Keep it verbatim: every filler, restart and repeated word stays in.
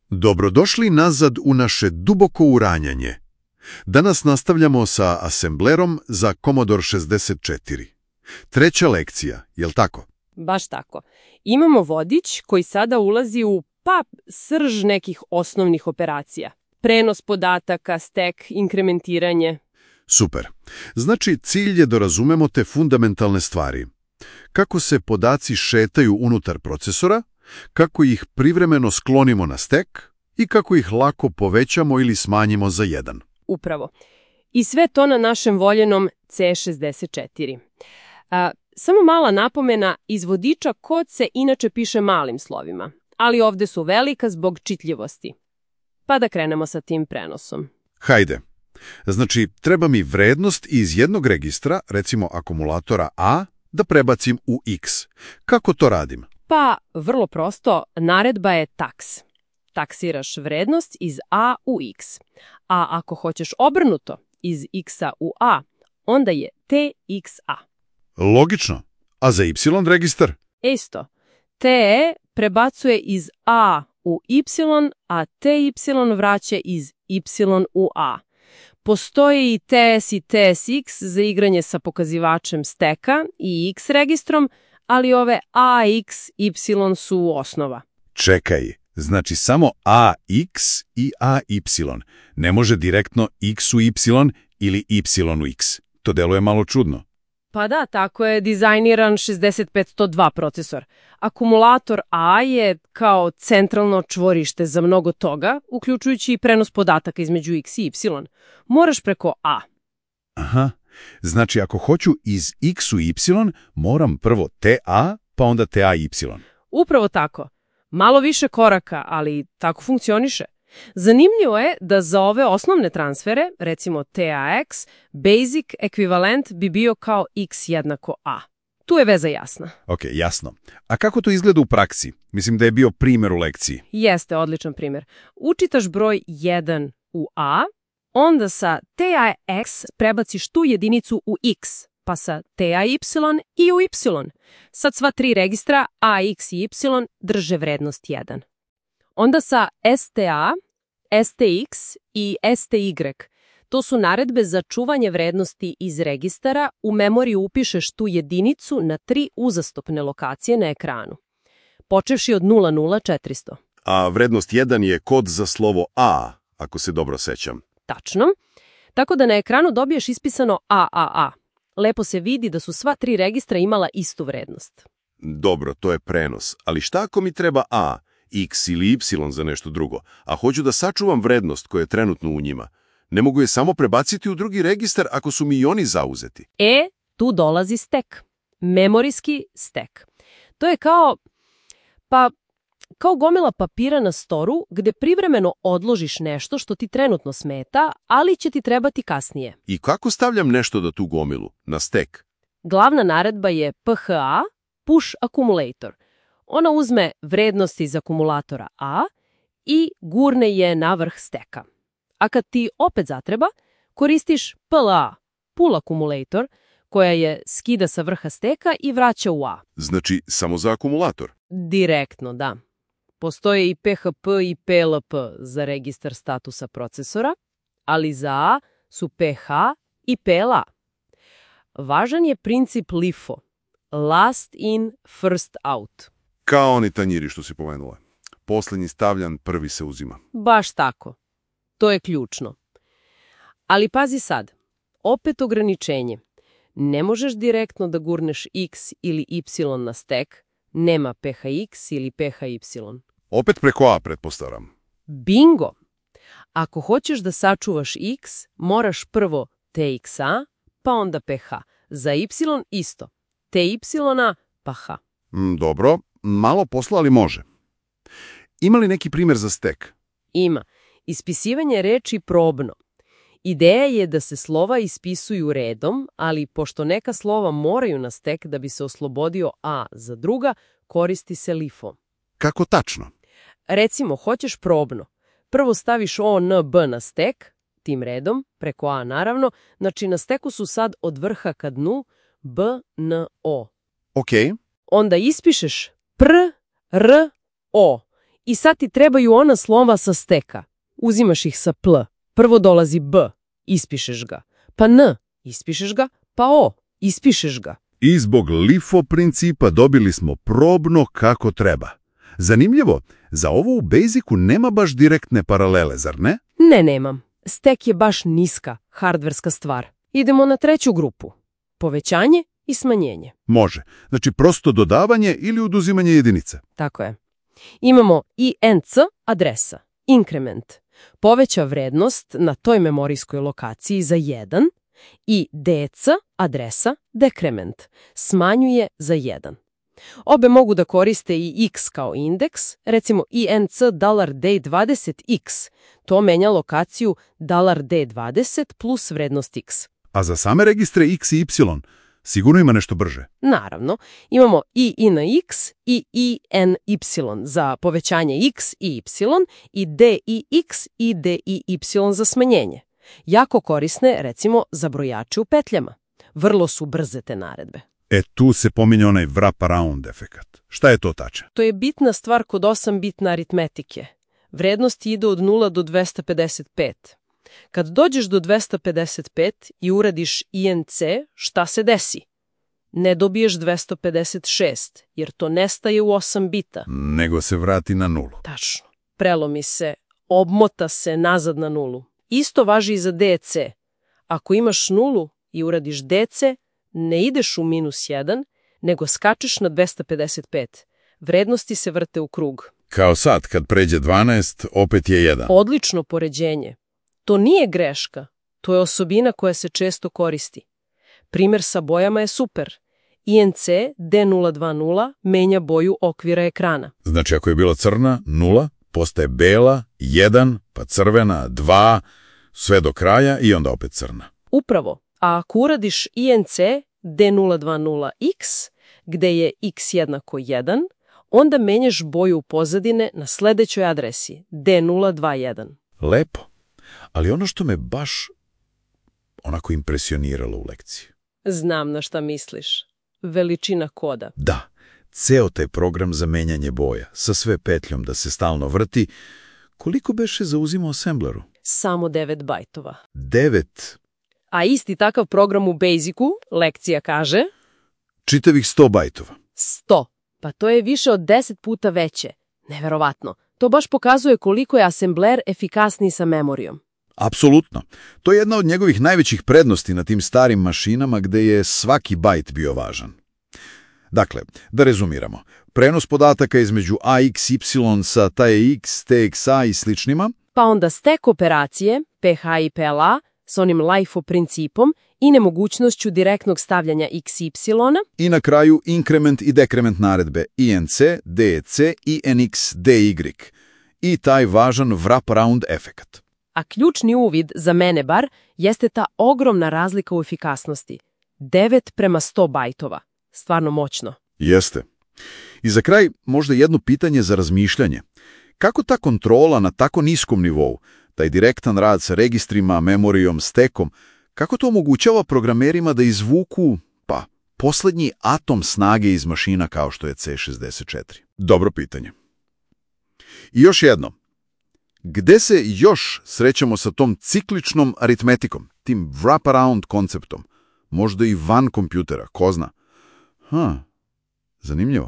Dobrodošli nazad u naše duboko uranjanje. Danas nastavljamo sa asemblerom za Commodore šezdeset četiri. Treća lekcija, jel tako? Baš tako. Imamo vodič koji sada ulazi u, pa, srž nekih osnovnih operacija. Prenos podataka, stek, inkrementiranje. Super. Znači, cilj je da razumemo te fundamentalne stvari. Kako se podaci šetaju unutar procesora, kako ih privremeno sklonimo na stek i kako ih lako povećamo ili smanjimo za jedan. Upravo. I sve to na našem voljenom C šezdeset četiri. A, samo mala napomena, iz vodiča kod se inače piše malim slovima, ali ovde su velika zbog čitljivosti. Pa da krenemo sa tim prenosom. Hajde. Znači, treba mi vrednost iz jednog registra, recimo akumulatora A, da prebacim u X. Kako to radim? Pa, vrlo prosto, naredba je taks. Taksiraš vrednost iz A u X. A ako hoćeš obrnuto, iz X-a u A, onda je T X A. Logično. A za Y registar? Isto. T prebacuje iz A u Y, a T Y vraća iz Y u A. Postoji i T S i T S X za igranje sa pokazivačem steka i X registrom, ali ove A X, Y su osnova. Čekaj, znači samo A X i A Y. Ne može direktno X u Y ili Y u X. To deluje malo čudno. Pa da, tako je dizajniran šezdeset pet sto dva procesor. Akumulator A je kao centralno čvorište za mnogo toga, uključujući i prenos podataka između X i Y. Moraš preko A. Aha, znači ako hoću iz X u Y, moram prvo T A, pa onda T A Y. Upravo tako. Malo više koraka, ali tako funkcioniše. Zanimljivo je da za ove osnovne transfere, recimo T A X, basic ekvivalent bi bio kao X jednako A. Tu je veza jasna. Ok, jasno. A kako to izgleda u praksi? Mislim da je bio primjer u lekciji. Jeste, odličan primjer. Učitaš broj jedan u A, onda sa T A X prebaciš tu jedinicu u X, pa sa T A Y i u Y. Sad sva tri registra A, X i Y drže vrednost jedan. Onda sa S T A, S T X i S T Y. To su naredbe za čuvanje vrednosti iz registara. U memoriju upišeš tu jedinicu na tri uzastopne lokacije na ekranu. Počevši od nula nula četiristo. A vrednost jedan je kod za slovo A, ako se dobro sećam. Tačno. Tako da na ekranu dobiješ ispisano A A A. Lepo se vidi da su sva tri registra imala istu vrednost. Dobro, to je prenos. Ali šta ako mi treba A, X ili Y za nešto drugo, a hoću da sačuvam vrednost koja je trenutno u njima? Ne mogu je samo prebaciti u drugi registar ako su mi i oni zauzeti. E, tu dolazi stek. Memorijski stek. To je kao, pa, kao gomila papira na storu gde privremeno odložiš nešto što ti trenutno smeta, ali će ti trebati kasnije. I kako stavljam nešto da tu gomilu? Na stek? Glavna naredba je P H A, push accumulator. Ona uzme vrednosti iz akumulatora A i gurne je na vrh steka. A kad ti opet zatreba, koristiš P L A, pull accumulator, koja je skida sa vrha steka i vraća u A. Znači, samo za akumulator? Direktno, da. Postoje i P H P i P L P za registar statusa procesora, ali za A su P H i P L A. Važan je princip L I F O, last in, first out. Kao oni tanjiri što si pomenula. Poslednji stavljan, prvi se uzima. Baš tako. To je ključno. Ali pazi sad, opet ograničenje. Ne možeš direktno da gurneš X ili Y na stek, nema P H X ili P H Y. Opet preko A, pretpostavljam. Bingo! Ako hoćeš da sačuvaš X, moraš prvo T X A, pa onda P H. Za Y isto. T Y pa H. Mm, dobro, malo posla, ali može. Ima li neki primjer za stek? Ima. Ispisivanje reči probno. Ideja je da se slova ispisuju redom, ali pošto neka slova moraju na stek da bi se oslobodio A za druga, koristi se L I F O. Kako tačno? Recimo, hoćeš probno. Prvo staviš O, N, B na stek, tim redom, preko A naravno, znači na steku su sad od vrha ka dnu B, N, O. Ok. Onda ispišeš pr, r, o I sad ti trebaju ona slova sa steka. Uzimaš ih sa pl. Prvo dolazi b, ispišeš ga. Pa n, ispišeš ga. Pa o, ispišeš ga. I zbog LIFO principa dobili smo probno kako treba. Zanimljivo, za ovo u Basicu nema baš direktne paralele, zar ne? Ne, nemam. Stek je baš niska, hardverska stvar. Idemo na treću grupu. Povećanje i smanjenje. Može. Znači prosto dodavanje ili oduzimanje jedinice. Tako je. Imamo I N C adresa, inkrement. Poveća vrednost na toj memorijskoj lokaciji za jedan i D C adresa, dekrement. Smanjuje za jedan. Obe mogu da koriste i x kao indeks, recimo I N C $D dvadeset x. To menja lokaciju $D dvadeset plus vrednost x. A za same registre x i y sigurno ima nešto brže. Naravno, imamo i I N X i I N Y za povećanje x i y i D I X i D I Y za smanjenje. Jako korisne, recimo, za brojače u petljama. Vrlo su brze te naredbe. E tu se pominje onaj wraparound efekat. Šta je to tačno? To je bitna stvar kod osam-bitne aritmetike. Vrednosti idu od nula do dvesta pedeset pet. Kad dođeš do dvesta pedeset pet i uradiš I N C, šta se desi? Ne dobiješ dvesta pedeset šest, jer to nestaje u osam bita. Nego se vrati na nulu. Tačno. Prelomi se, obmota se nazad na nulu. Isto važi i za D C. Ako imaš nulu i uradiš D C, ne ideš u minus jedan, nego skačeš na dvesta pedeset pet. Vrednosti se vrte u krug. Kao sad, kad pređe dvanaest, opet je jedan. Odlično poređenje. To nije greška, to je osobina koja se često koristi. Primjer sa bojama je super. I N C D nula dvadeset menja boju okvira ekrana. Znači ako je bila crna, nula, postaje bela, jedan, pa crvena, dva, sve do kraja i onda opet crna. Upravo, a ako uradiš I N C D nula dvadeset x, gde je x jednako jedan, onda menjaš boju pozadine na sledećoj adresi D nula dvadeset jedan. Lepo. Ali ono što me baš onako impresioniralo u lekciji. Znam na šta misliš. Veličina koda. Da, ceo taj program za menjanje boja, sa sve petljom da se stalno vrti, koliko beše zauzimao assembleru? Samo devet bajtova. Devet? A isti takav program u Basicu, lekcija kaže... Čitavih sto bajtova. Sto. Pa to je više od deset puta veće. Neverovatno. To baš pokazuje koliko je asembler efikasniji sa memorijom. Apsolutno. To je jedna od njegovih najvećih prednosti na tim starim mašinama gde je svaki bajt bio važan. Dakle, da rezumiramo. Prenos podataka između A X Y sa T X, T X A i sličnima. Pa onda stek operacije, P H i P L A, s onim LIFO principom i nemogućnošću direktnog stavljanja X Y. I na kraju inkrement i dekrement naredbe I N C, D E C i N X, D Y. I taj važan wraparound efekat. A ključni uvid, za mene bar, jeste ta ogromna razlika u efikasnosti. devet prema sto bajtova. Stvarno moćno. Jeste. I za kraj možda jedno pitanje za razmišljanje. Kako ta kontrola na tako niskom nivou, taj direktan rad sa registrima, memorijom, stekom, kako to omogućava programerima da izvuku, pa, poslednji atom snage iz mašina kao što je C šezdeset četiri? Dobro pitanje. I još jedno. Gde se još srećemo sa tom cikličnom aritmetikom, tim wraparound konceptom? Možda i van kompjutera, ko zna? Ha, zanimljivo.